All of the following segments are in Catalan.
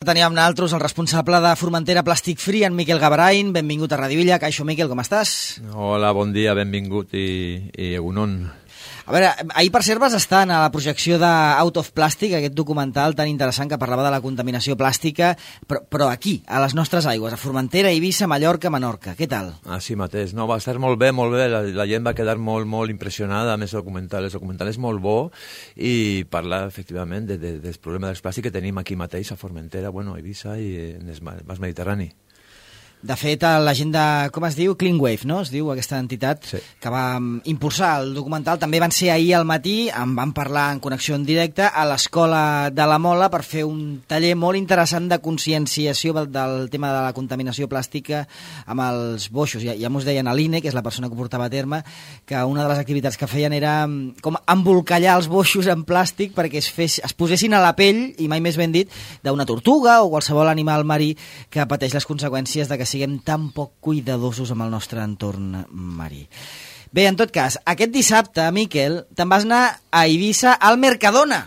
Teníem nosaltres el responsable de Formentera Plàstic Free, en Miquel Gavarain. Benvingut a Radio Villa. Caixo, Miquel, com estàs? Hola, bon dia, benvingut i egunon. A veure, ahir per cert vas estar a la projecció d'Out of Plastic, aquest documental tan interessant que parlava de la contaminació plàstica, però aquí, a les nostres aigües, a Formentera, Eivissa, Mallorca, Menorca. Què tal? Així mateix. No, va estar molt bé, molt bé. La gent va quedar molt impressionada amb el documental. El documental és molt bo i parla, efectivament, del problema del plàstic que tenim aquí mateix, a Formentera, bueno, a Eivissa i en el Mas Mediterrani. De fet, la gent de, com es diu? Clean Wave, no? Es diu aquesta entitat, sí, que va impulsar el documental. També van ser ahir al matí, en van parlar en connexió en directe a l'Escola de la Mola per fer un taller molt interessant de conscienciació del tema de la contaminació plàstica amb els boixos. Ja m'ho deien a l'Ine, que és la persona que ho portava a terme, que una de les activitats que feien era com embolcallar els boixos en plàstic perquè es posessin a la pell, i mai més ben dit, d'una tortuga o qualsevol animal marí que pateix les conseqüències de que siguem tan poc cuidadosos amb el nostre entorn marí. Bé, en tot cas, aquest dissabte, Miquel, te'n vas anar a Eivissa al Mercadona.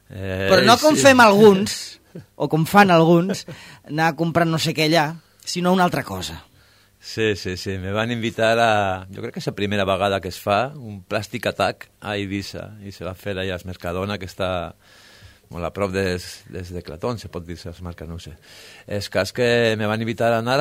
Però no com fem alguns, o com fan alguns, anar a comprar no sé què allà, sinó una altra cosa. Sí, me van invitar a... Jo crec que és la primera vegada que es fa un Plastic Attack a Eivissa, i se va fer allà al Mercadona, que està... molt a prop des de Clatón, se pot dir, se marca, no ho sé. És cas que me van invitar a anar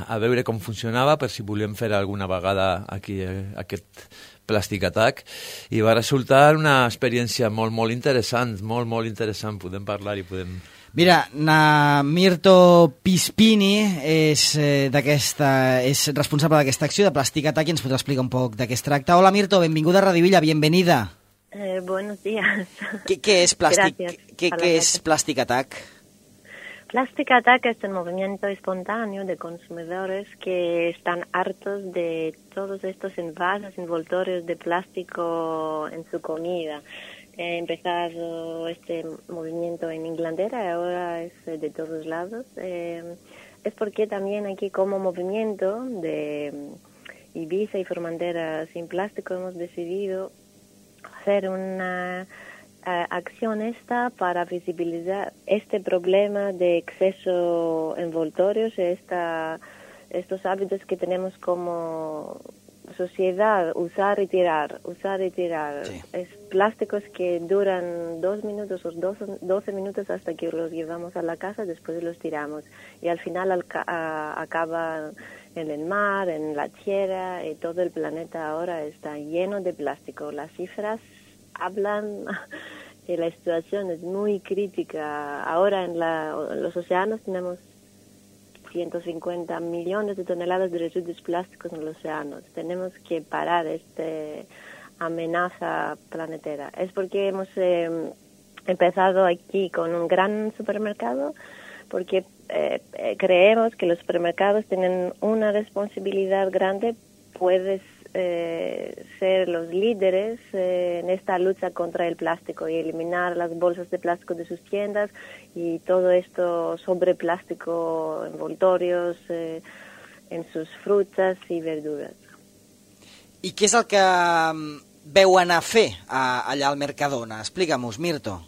a veure com funcionava per si volíem fer alguna vegada aquí aquest Plastic Attack, i va resultar una experiència molt interessant, molt interessant. Podem parlar i podem... Mira, na Mirto Pispini és responsable d'aquesta acció de Plastic Attack i ens podrà explicar un poc de què es tracta. Hola Mirto, benvinguda a Radio Villa, bienvenida. Buenos días. ¿Qué es Plastic Attack? Plastic Attack es un movimiento espontáneo de consumidores que están hartos de todos estos envases, envoltorios de plástico en su comida. He empezado este movimiento en Inglaterra y ahora es de todos lados. Es porque también aquí como movimiento de Eivissa y Formentera sin plástico hemos decidido hacer una acción para visibilizar este problema de exceso envoltorios, estos hábitos que tenemos como sociedad, usar y tirar. Sí. Es plásticos que duran 2 minutos o 12 minutos hasta que los llevamos a la casa, después los tiramos. Y al final acaba en el mar, en la tierra, y todo el planeta ahora está lleno de plástico. Las cifras hablan que la situación es muy crítica. Ahora en los océanos tenemos 150 millones de toneladas de residuos plásticos en los océanos. Tenemos que parar esta amenaza planetaria. Es porque hemos empezado aquí con un gran supermercado, porque creemos que los supermercados tienen una responsabilidad grande. Puedes ser los líderes en esta lucha contra el plástico y eliminar las bolsas de plástico de sus tiendas y todo esto sobre plástico, envoltorios en sus frutas y verduras. I què és el que veu anar a fer allà al Mercadona? Explica-mos, Mirto.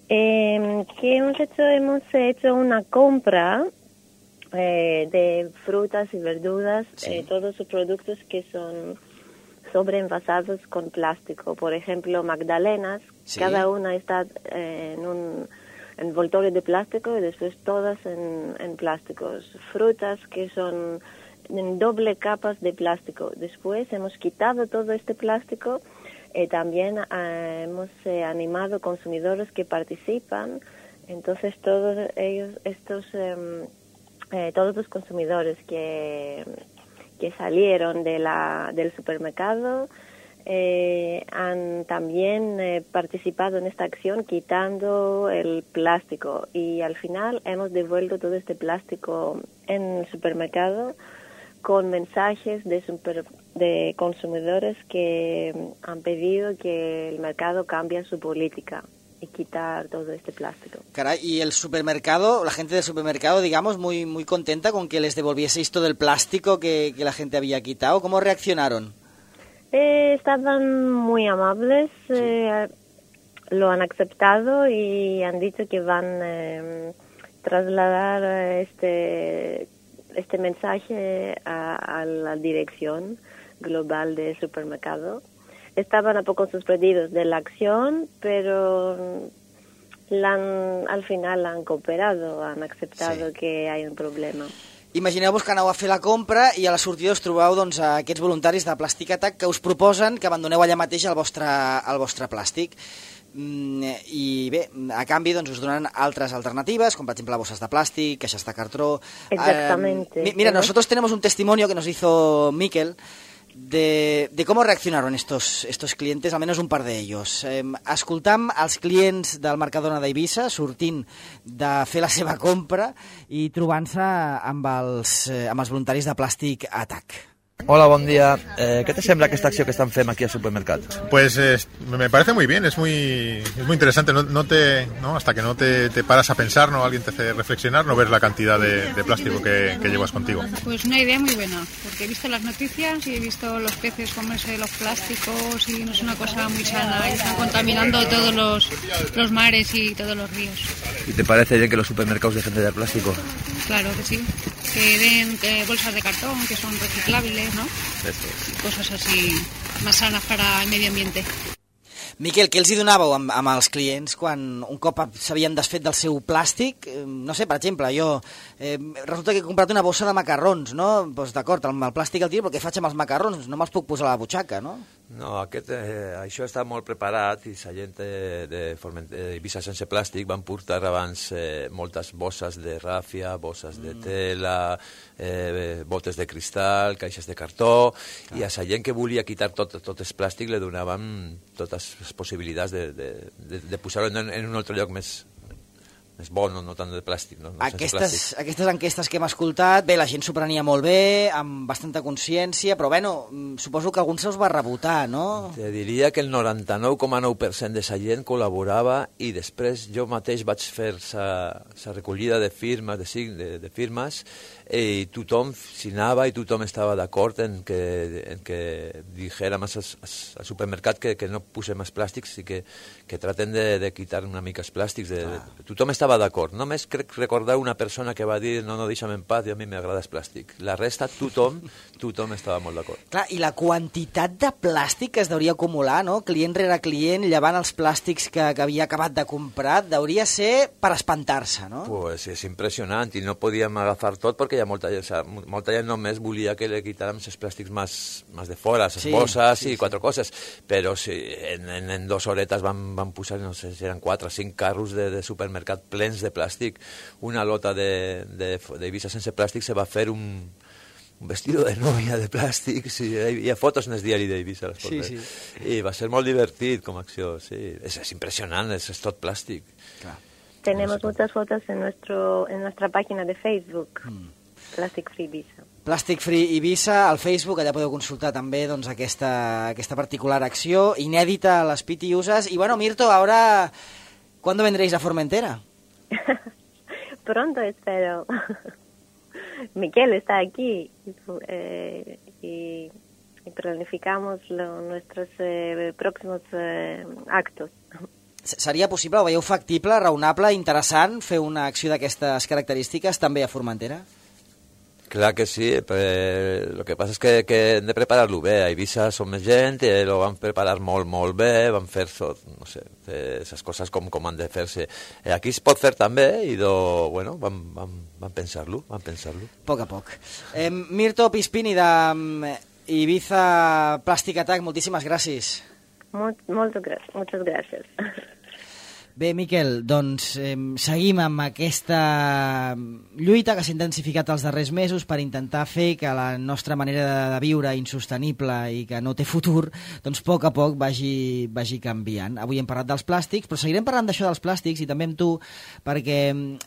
¿Qué hemos hecho? Hemos hecho una compra de frutas y verduras, sí, todos sus productos que son sobreenvasados con plástico. Por ejemplo, magdalenas, sí, cada una está en un envoltorio de plástico y después todas en plásticos. Frutas que son en doble capas de plástico. Después hemos quitado todo este plástico y también hemos animado consumidores que participan. Entonces todos ellos, todos los consumidores que salieron del supermercado han también participado en esta acción quitando el plástico, y al final hemos devuelto todo este plástico en el supermercado con mensajes de consumidores que han pedido que el mercado cambie su política y quitar todo este plástico. Caray, y el supermercado, la gente del supermercado, digamos, muy contenta con que les devolvieseis todo el plástico que la gente había quitado. ¿Cómo reaccionaron? Estaban muy amables, sí, lo han aceptado y han dicho que van trasladar este mensaje a la dirección global del supermercado. Estaban un poco sorprendidos de la acción, pero al final han cooperado, han aceptado que hay un problema. Imagineu-vos que aneu a fer la compra i a la sortida us trobeu doncs, aquests voluntaris de Plastic Attack que us proposen que abandoneu allà mateix el vostre plàstic. I bé, a canvi doncs, us donen altres alternatives, com per exemple bosses de plàstic, caixes de cartró. Exactamente. Mira, nosotros tenemos un testimonio que nos hizo Miquel de cómo reaccionaron estos clientes, al menos un par de ellos. Escoltam els clients del Mercadona d'Eivissa sortint de fer la seva compra i trobant-se amb els voluntaris de Plastic Attack. Hola, buen día. ¿Qué te sembla esta acción que están fent aquí al supermercado? Pues me parece muy bien, es muy interesante. Hasta que no te paras a pensar, no, alguien te hace reflexionar, no ver la cantidad de plástico que llevas contigo. Pues una idea muy buena, porque he visto las noticias y he visto los peces comerse los plásticos y no es una cosa muy sana, y están contaminando todos los mares y todos los ríos. ¿Y te parece bien que los supermercados dejen de dar plástico? Claro que sí, que den bolsas de cartón que son reciclables, ¿no? Eso. Cosas así más sanas para el medio ambiente. Miquel, què els hi donàveu amb els clients quan un cop s'havien desfet del seu plàstic? No sé, per exemple, jo resulta que he comprat una bossa de macarrons, no? Doncs d'acord, el plàstic el tiro, però què faig amb els macarrons? No me'ls puc posar a la butxaca, no? No, això està molt preparat i la gent d'Eivissa sense plàstic van portar abans moltes bosses de ràfia, bosses de tela, botes de cristal, caixes de cartó, i a la gent que volia quitar tot el plàstic li donàvem totes les possibilitats de posar-ho en un altre lloc més bo, no tant de plàstic. No aquestes enquestes que hem escoltat, bé, la gent s'ho prenia molt bé, amb bastanta consciència, però bueno, suposo que algun se us va rebotar, no? Te diria que el 99,9% de la gent col·laborava i després jo mateix vaig fer la recollida de firmes, de firmes, i tothom signava i tothom estava d'acord en que dijérem al supermercat que no posem els plàstics i que traten de quitar una mica els plàstics. Tothom estava d'acord. Només crec recordar una persona que va dir no, deixa'm en paz, i a mi m'agrada el plàstic. La resta, tothom estava molt d'acord. Clar, i la quantitat de plàstic que es deuria acumular, no? Client rere client, llevant els plàstics que havia acabat de comprar, deuria ser per espantar-se, no? Pues és impressionant i no podíem agafar tot perquè hi ha molta gent només volia que li quitàrem els plàstics més de fora, les bosses i quatre coses, però en 2 horetes van posar, no sé si eren 4 o 5 carros de supermercat plens de plàstic. Una lota d'Eivissa sense plàstic se va fer un vestido de novia de plàstic, sí, hi ha fotos en el diari d'Eivissa, i va ser molt divertit com a acció, sí. És impressionant, és tot plàstic. Clar. Tenemos muchas fotos en nuestra página de Facebook. Plastic Free Ibiza. Plastic Free Ibiza, al Facebook, allà podeu consultar també doncs, aquesta particular acció, inèdita a les Pitiusas. Y bueno, Mirto, ahora, ¿cuándo vendréis a Formentera? Pronto, espero. Miquel está aquí y planificamos nuestros próximos actos. Seria possible, ho veieu factible, raonable, interessant, fer una acció d'aquestes característiques també a Formentera? Clar que sí, el que passa és que hem de preparar-lo bé. A Eivissa som més gent, ho van preparar molt, molt bé, van fer, no sé, les coses com han de fer-se. Aquí es pot fer també i, bueno, van pensar-lo, Poc a poc. Mirto Pispini d'Ibiza Plastic Attack, moltíssimes gràcies. Muchas gracias. Bé, Miquel, doncs seguim amb aquesta lluita que s'ha intensificat els darrers mesos per intentar fer que la nostra manera de viure insostenible i que no té futur, doncs a poc vagi canviant. Avui hem parlat dels plàstics, però seguirem parlant d'això dels plàstics i també amb tu, perquè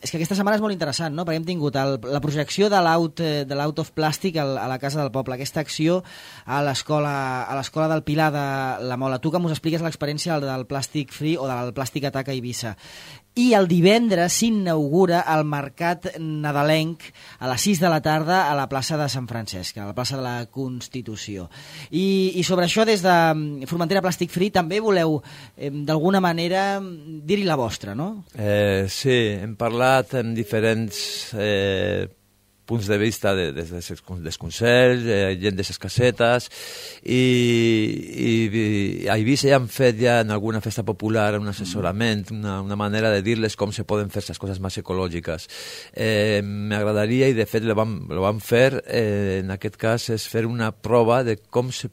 és que aquesta setmana és molt interessant, no? Perquè hem tingut la projecció de l'Out of Plastic a la Casa del Poble, aquesta acció a l'escola del Pilar de la Mola. Tu que mos expliques l'experiència del Plastic Free o del Plastic Attack a Eivissa. I el divendres s'inaugura el mercat nadalenc a les 6 de la tarda a la plaça de Sant Francesc, a la plaça de la Constitució. I sobre això, des de Formentera Plàstic Free, també voleu, d'alguna manera, dir-hi la vostra, no? Sí, hem parlat amb diferents punts de vista des dels consells, gent de les casetes, i a Eivissa ja han fet en alguna festa popular un assessorament, una manera de dir-les com se poden fer les coses més ecològiques. M'agradaria, i de fet lo vam fer, en aquest cas, és fer una prova de com es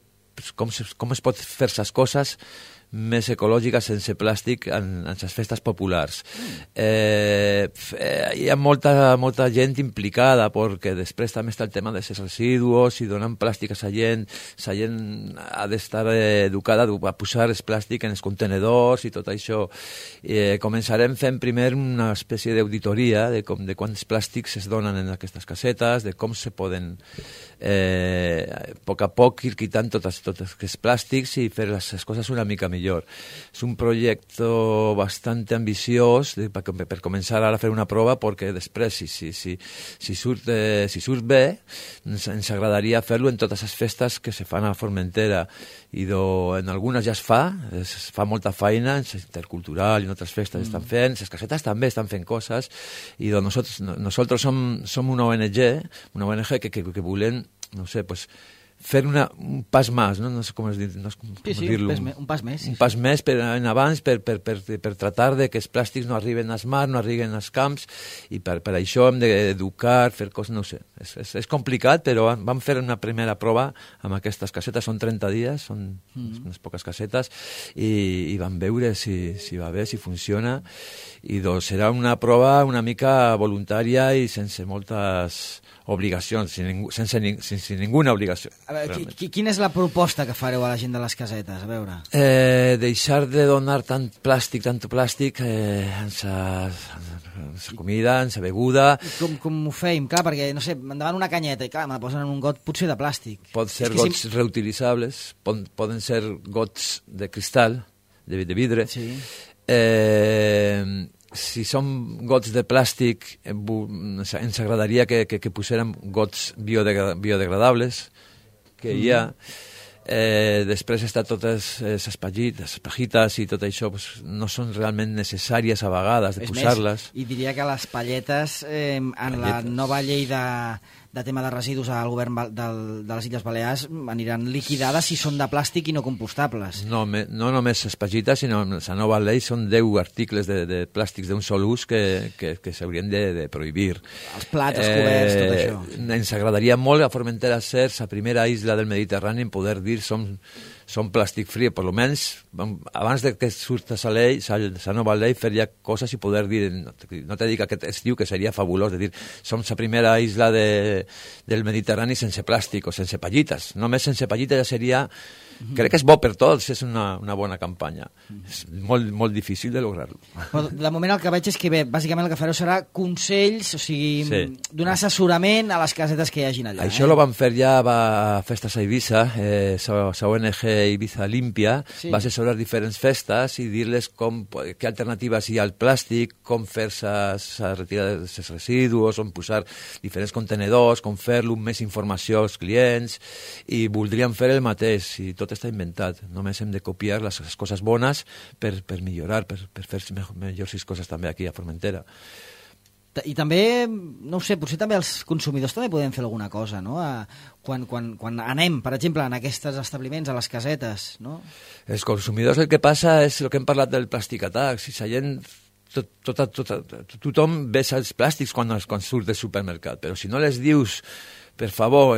pot fer les coses més ecològica sense plàstic en les festes populars. Hi ha molta gent implicada, perquè després també està el tema dels residus i donant plàstic a la gent ha d'estar educada a posar el plàstic en els contenedors i tot això. Començarem fent primer una espècie d'auditoria de quants plàstics es donen en aquestes casetes, de com se poden a poc ir quitant tots aquests plàstics i fer les coses una mica millor. És un projecte bastante ambiciós per començar ara a fer una prova, perquè després, si surt bé, ens agradaria fer-lo en totes les festes que se fan a Formentera, i en algunes ja es fa molta feina, en Intercultural i en altres festes estan fent, les casetes també estan fent coses, i nosaltres som una ONG que volem, no sé, pues fer un pas més, no sé com dir-lo. Un pas més. Un pas més en abans per tratar de que els plàstics no arriben als mars, no arriben als camps, i per això hem d'educar, fer coses, no sé. És complicat, però vam fer una primera prova amb aquestes casetes, són 30 dies, són unes poques casetes, i vam veure si va bé, si funciona, i doncs serà una prova una mica voluntària i sense moltes obligacions, sense ninguna obligació. A veure, quina és la proposta que fareu a la gent de les casetes? A veure. Deixar de donar tant plàstic en la comida, en la beguda. Com ho feim? Clar, perquè, no sé, endavant una canyeta i clar, me la posen en un got potser de plàstic. Pot ser gots reutilitzables, poden ser gots de cristal, de vidre. Sí. Si són gots de plàstic, ens agradaria que posérem gots biodegradables, que hi ha. Després està totes les pajites i tot això, no són realment necessàries a vegades de posar-les. I diria que les palletes, en la nova llei de tema de residus al govern de les Illes Balears, aniran liquidades si són de plàstic i no compostables. No només les pajites, sinó en la nova llei són 10 articles de plàstics d'un sol ús que s'haurien de prohibir. Els plats, els coberts, tot això. Ens agradaria molt a Formentera ser la primera isla del Mediterrani en poder dir som plàstic free, per almenys abans que surti la nova llei, fer ja coses i poder dir, no te dic aquest estiu, que seria fabulós, de dir, som la primera isla del Mediterrani sense plàstic o sense pallites. Només sense pallites ja seria... Crec que és bo per tots, és una bona campanya. És molt, molt difícil de lograr-lo. Però de moment el que veig és que bé, bàsicament el que fareu serà consells, o sigui, donar assessorament a les casetes que hi hagin allà. Això ho vam fer ja a festes a Eivissa, la ONG Eivissa Limpia, va assessorar diferents festes i dir-les què alternatives hi ha al plàstic, com fer-se la retirada dels residus, on posar diferents contenedors, com fer-lo, més informació als clients, i voldríem fer el mateix, i tot està inventat. Només hem de copiar les coses bones per millorar, per fer millors coses també aquí a Formentera. I també, no ho sé, potser també els consumidors també podem fer alguna cosa, no? Quan anem, per exemple, en aquests establiments, a les casetes, no? Els consumidors, el que passa és el que hem parlat del plàstic atac. Si la gent... Tothom besa els plàstics quan surt del supermercat, però si no les dius, per favor,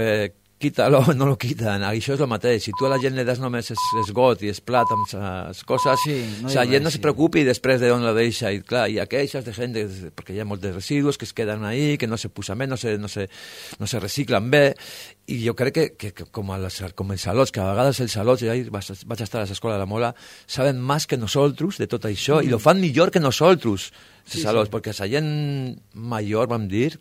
quítalo, no lo quiten. Això és el mateix. Si tu a la gent li das només el got i el plat amb les coses, la gent no se preocupi després d'on la deixa. I clar, hi ha queixes de gent, perquè hi ha molts residus que es queden ahí, que no se posen bé, no se reciclen bé. I jo crec que com els salots, que a vegades els salots, ja vaig estar a l'escola de la Mola, saben més que nosaltres de tot això, i ho fan millor que nosaltres, els salots, perquè la gent major, vam dir,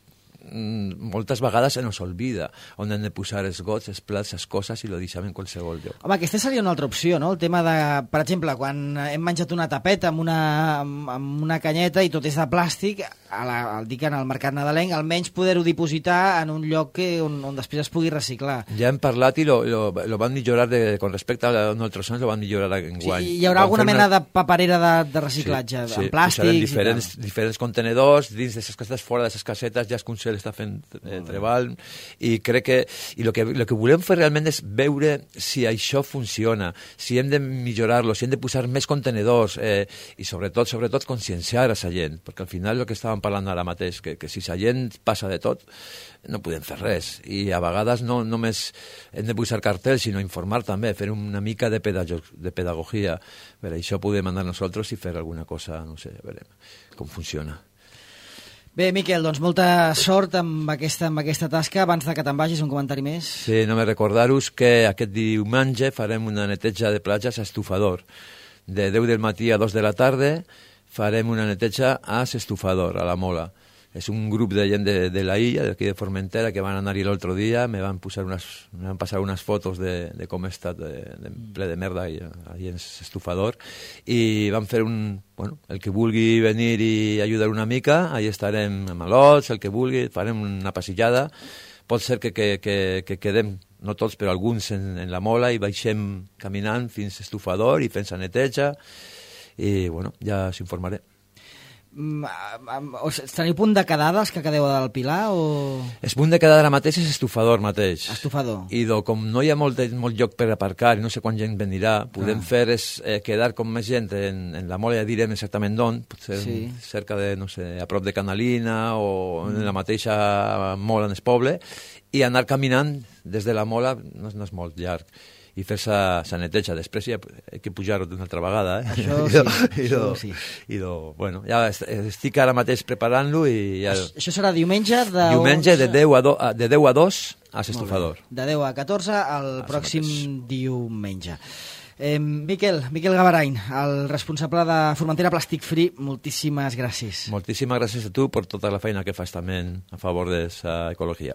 moltes vegades se nos olvida on hem de posar els gots, els plats, les coses, i lo deixem en qualsevol lloc. Home, aquesta seria una altra opció, no? El tema de, per exemple, quan hem menjat una tapeta amb una canyeta i tot és de plàstic, dic en el mercat nadalenc, almenys poder-ho dipositar en un lloc on després es pugui reciclar. Ja hem parlat i lo van millorar, con respecte a nosaltres anys, lo van millorar enguany. Sí, hi haurà alguna mena de paperera de reciclatge, en plàstics i tal. Diferents contenedors, dins de les casetes, fora de les casetes, ja es Consell està fent treball, i crec que el que volem fer realment és veure si això funciona, si hem de millorar-lo, si hem de posar més contenedors, i sobretot conscienciar a la gent, perquè al final el que estàvem parlant ara mateix, que si la gent passa de tot, no podem fer res, i a vegades no només hem de posar cartells, sinó informar també, fer una mica de pedagogia. Per això podem anar nosaltres i fer alguna cosa, no sé, veurem com funciona. Bé, Miquel, doncs molta sort amb aquesta tasca. Abans de que te'n vagis, un comentari més? Sí, només recordar-vos que aquest diumenge farem una neteja de platges a Estufador. De 10 del matí a 2 de la tarda farem una neteja a Estufador, a la Mola. És un grup de gent de la illa, d'aquí de Formentera, que van anar-hi l'altre dia, me van passar unes fotos de com he estat ple de merda allà en Estufador, i van fer el que vulgui venir i ajudar una mica, allà estarem amb malots, el que vulgui, farem una passillada. Pot ser que quedem, no tots, però alguns en la Mola, i baixem caminant fins a Estufador i fent la neteja, i ja s'informaré. Teniu punt de quedada els que quedeu del Pilar o...? El punt de quedada ara mateix és Estufador mateix. Estufador. I com no hi ha molt lloc per aparcar i no sé quan gent venirà, podem fer és quedar com més gent en la Mola, ja direm exactament d'on, potser cerca de, no sé, a prop de Canalina o en la mateixa Mola en el poble, i anar caminant des de la Mola, no és molt llarg, i fer-se la neteja. Després ja he de pujar-ho d'una altra vegada. Això sí. Ja estic ara mateix preparant-lo. Això serà diumenge de... Diumenge de 10 a 2 a l'Estufador. De 10 a 14 el pròxim diumenge. Miquel Gavarain, el responsable de Formentera Plastic Free, moltíssimes gràcies. Moltíssimes gràcies a tu per tota la feina que fas també a favor de l'ecologia.